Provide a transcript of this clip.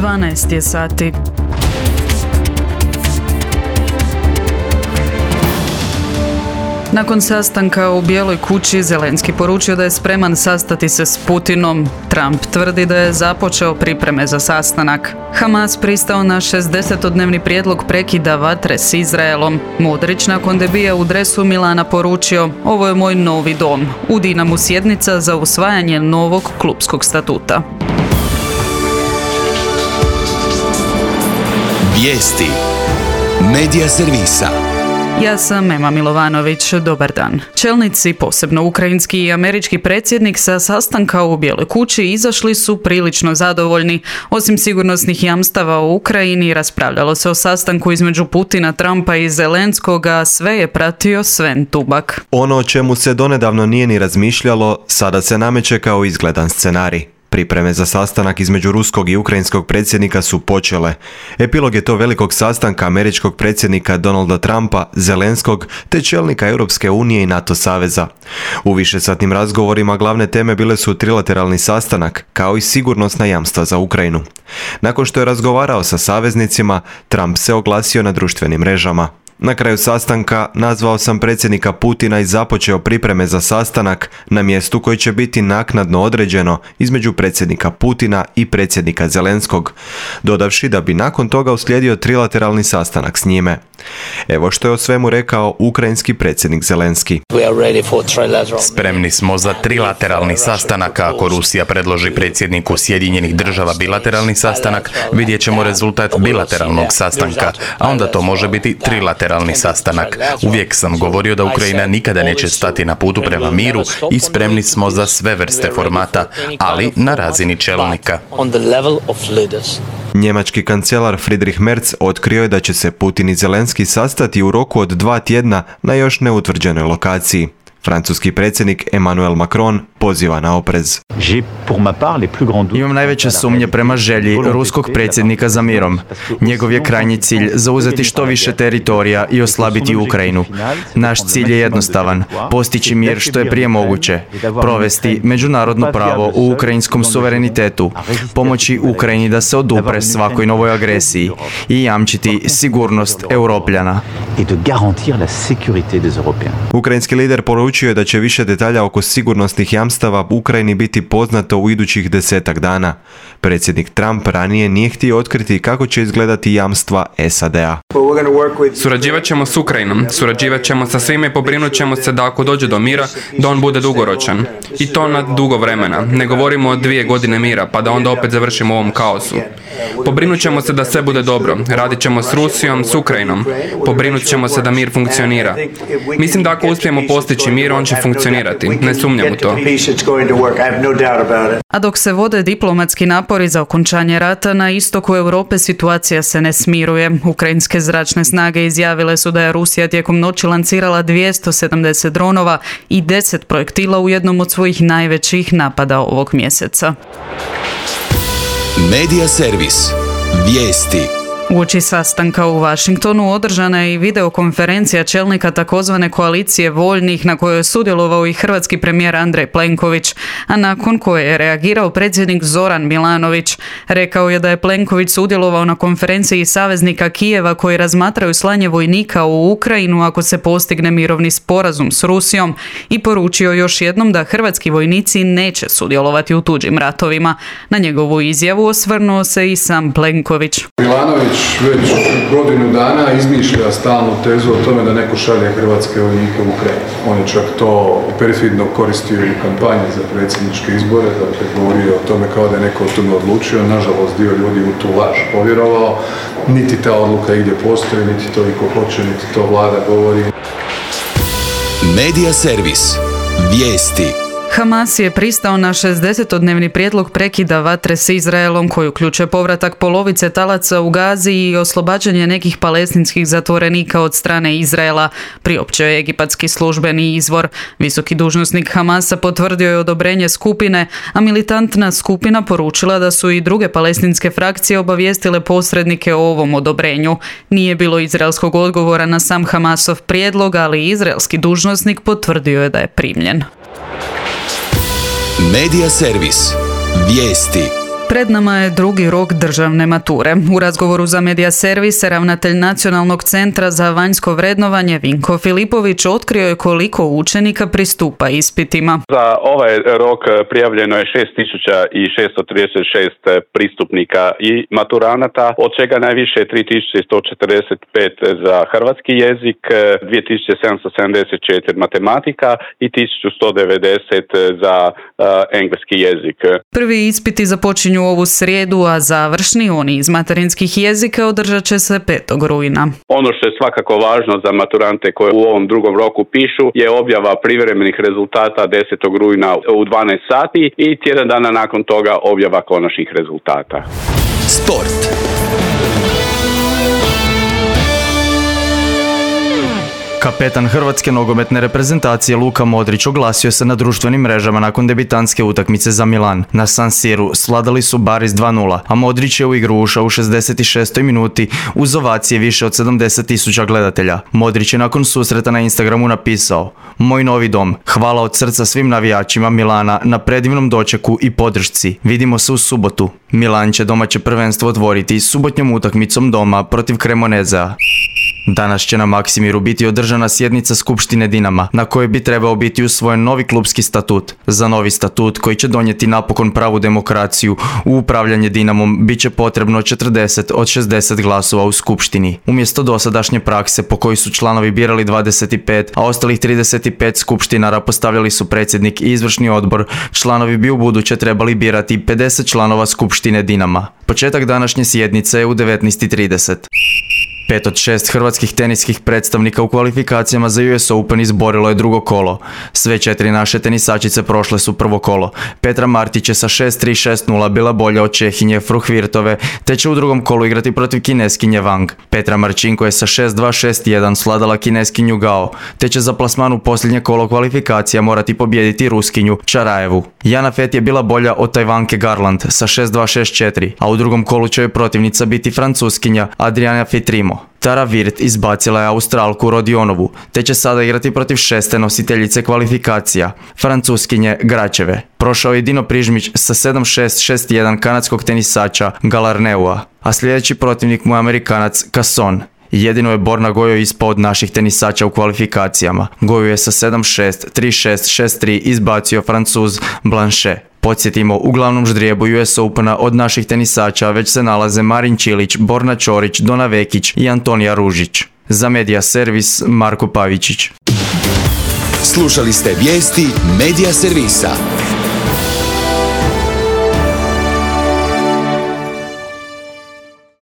12 je sati. Nakon sastanka u Bijeloj kući, Zelenski poručio da je spreman sastati se s Putinom. Trump tvrdi da je započeo pripreme za sastanak. Hamas pristao na 60-dnevni prijedlog prekida vatre s Izraelom. Modrić nakon debija u dresu Milana poručio: "Ovo je moj novi dom. U Dinamu sjednica za usvajanje novog klupskog statuta." Vijesti Medija servisa. Ja sam Ema Milovanović, dobar dan. Čelnici, posebno ukrajinski i američki predsjednik, sa sastanka u Bijeloj kući izašli su prilično zadovoljni. Osim sigurnosnih jamstava u Ukrajini, raspravljalo se o sastanku između Putina, Trumpa i Zelenskog, a sve je pratio Sven Tubak. Ono o čemu se donedavno nije ni razmišljalo, sada se nameće kao izgledan scenarij. Pripreme za sastanak između ruskog i ukrajinskog predsjednika su počele. Epilog je to velikog sastanka američkog predsjednika Donalda Trumpa, Zelenskog te čelnika Europske unije i NATO saveza. U višesatnim razgovorima glavne teme bile su trilateralni sastanak, kao i sigurnosna jamstva za Ukrajinu. Nakon što je razgovarao sa saveznicima, Trump se oglasio na društvenim mrežama. Na kraju sastanka nazvao sam predsjednika Putina i započeo pripreme za sastanak na mjestu koji će biti naknadno određeno između predsjednika Putina i predsjednika Zelenskog, dodavši da bi nakon toga uslijedio trilateralni sastanak s njime. Evo što je o svemu rekao ukrajinski predsjednik Zelenski. Spremni smo za trilateralni sastanak. Ako Rusija predloži predsjedniku Sjedinjenih država bilateralni sastanak, vidjet ćemo rezultat bilateralnog sastanka, a onda to može biti trilateralni sastanak. Uvijek sam govorio da Ukrajina nikada neće stati na putu prema miru i spremni smo za sve vrste formata, ali na razini čelnika. Njemački kancelar Friedrich Merz otkrio je da će se Putin i Zelenski sastati u roku od 2 tjedna na još neutvrđenoj lokaciji. Francuski predsjednik Emmanuel Macron poziva na oprez. Imam najveće sumnje prema želji ruskog predsjednika za mirom. Njegov je krajnji cilj zauzeti što više teritorija i oslabiti Ukrajinu. Naš cilj je jednostavan: postići mir što je prije moguće, provesti međunarodno pravo u ukrajinskom suverenitetu, pomoći Ukrajini da se odupre svakoj novoj agresiji i jamčiti sigurnost Europljana. Ukrajinski lider poručio je da će više detalja oko sigurnosnih jamstava u Ukrajini biti poznato u idućih 10 dana. Predsjednik Trump ranije nije htio otkriti kako će izgledati jamstva SAD-a. Surađivat ćemo s Ukrajinom, surađivat ćemo sa svime i pobrinut ćemo se da ako dođe do mira, da on bude dugoročan. I to na dugo vremena. Ne govorimo o 2 godine mira, pa da onda opet završimo u ovom kaosu. Pobrinut ćemo se da sve bude dobro. Radit ćemo s Rusijom, s Ukrajinom. Pobrinut ćemo se da mir funkcionira. Mislim da ako uspijemo postići mir, on će funkcionirati. Ne sumnjam u to. A dok se vode diplomatski napori za okončanje rata, na istoku Europe situacija se ne smiruje. Ukrajinske zračne snage izjavile su da je Rusija tijekom noći lancirala 270 dronova i 10 projektila u jednom od svojih najvećih napada ovog mjeseca. Medija servis. Vijesti. Uoči sastanka u Washingtonu održana je i videokonferencija čelnika takozvane koalicije voljnih na kojoj je sudjelovao i hrvatski premijer Andrej Plenković, a nakon koje je reagirao predsjednik Zoran Milanović. Rekao je da je Plenković sudjelovao na konferenciji saveznika Kijeva koji razmatraju slanje vojnika u Ukrajinu ako se postigne mirovni sporazum s Rusijom i poručio još jednom da hrvatski vojnici neće sudjelovati u tuđim ratovima. Na njegovu izjavu osvrnuo se i sam Plenković. Milanović već godinu dana izmišlja stalnu tezu o tome da neko šalje hrvatske vojnike u Ukrajinu. On je čak to perfidno koristio i u kampanji za predsjedničke izbore, dakle govorio o tome kao da je neko o tome odlučio. Nažalost, dio ljudi u tu laž povjerovao. Niti ta odluka igdje postoji, niti to iko hoće, niti to vlada govori. Medija servis. Vijesti. Hamas je pristao na 60-dnevni prijedlog prekida vatre s Izraelom koji uključuje povratak polovice talaca u Gazi i oslobađanje nekih palestinskih zatvorenika od strane Izraela, priopćio je egipatski službeni izvor. Visoki dužnosnik Hamasa potvrdio je odobrenje skupine, a militantna skupina poručila da su i druge palestinske frakcije obavijestile posrednike o ovom odobrenju. Nije bilo izraelskog odgovora na sam Hamasov prijedlog, ali izraelski dužnosnik potvrdio je da je primljen. Medija servis. Vijesti. Pred nama je drugi rok državne mature. U razgovoru za Medija Servis ravnatelj Nacionalnog centra za vanjsko vrednovanje Vinko Filipović otkrio je koliko učenika pristupa ispitima. Za ovaj rok prijavljeno je 6636 pristupnika i maturanata, od čega najviše 3145 za hrvatski jezik, 2774 matematika i 1190 za engleski jezik. Prvi ispiti započinju ovu srijedu, a završni, oni iz materinskih jezika, održat će se 5. rujna. Ono što je svakako važno za maturante koji u ovom drugom roku pišu je objava privremenih rezultata 10. rujna u 12 sati i tjedan dana nakon toga objava konačnih rezultata. Sport. Kapetan hrvatske nogometne reprezentacije Luka Modrić oglasio se na društvenim mrežama nakon debitanske utakmice za Milan. Na San Siru svladali su Baris 2:0, a Modrić je u igru ušao u 66. minuti uz ovacije više od 70.000 gledatelja. Modrić je nakon susreta na Instagramu napisao: "Moj novi dom, hvala od srca svim navijačima Milana na predivnom dočeku i podršci. Vidimo se u subotu." Milan će domaće prvenstvo otvoriti subotnjom utakmicom doma protiv Cremonezea. Danas će na Maksimiru biti održana sjednica Skupštine Dinama, na kojoj bi trebao biti usvojen novi klubski statut. Za novi statut, koji će donijeti napokon pravu demokraciju u upravljanje Dinamom, bit će potrebno 40 od 60 glasova u Skupštini. Umjesto dosadašnje prakse po kojoj su članovi birali 25, a ostalih 35 skupštinara postavljali su predsjednik i izvršni odbor, članovi bi ubuduće trebali birati 50 članova Skupštine Dinama. Početak današnje sjednice je u 19:30. 5 od 6 hrvatskih teniskih predstavnika u kvalifikacijama za US Open izborilo je drugo kolo. Sve 4 naše tenisačice prošle su prvo kolo. Petra Martić je sa 6-3, 6-0 bila bolja od Čehinje Fruhvirtove, te će u drugom kolu igrati protiv Kineskinje Wang. Petra Marčinko je sa 6-2, 6-1 svladala Kineskinju Gao, te će za plasman u posljednje kolo kvalifikacija morati pobijediti Ruskinju Čarajevu. Jana Fett je bila bolja od Tajvanke Garland sa 6-2, 6-4, a u drugom kolu će joj protivnica biti Francuskinja Adriana Fitrimo. Tara Virt izbacila je Australku Rodionovu, te će sada igrati protiv 6. nositeljice kvalifikacija, Francuskinje Gračeve. Prošao je Dino Prižmić sa 7-6, 6-1 kanadskog tenisača Galarneua, a sljedeći protivnik mu je Amerikanac Casson. Jedino je Borna Gojo ispao od naših tenisača u kvalifikacijama. Gojo je sa 7-6, 3-6, 6-3 izbacio Francuz Blanchet. Podsjetimo, u glavnom ždrijebu US Opena od naših tenisača već se nalaze Marin Čilić, Borna Čorić, Dona Vekić i Antonija Ružić. Za Medija Servis, Marko Pavičić. Slušali ste vijesti Medija Servisa.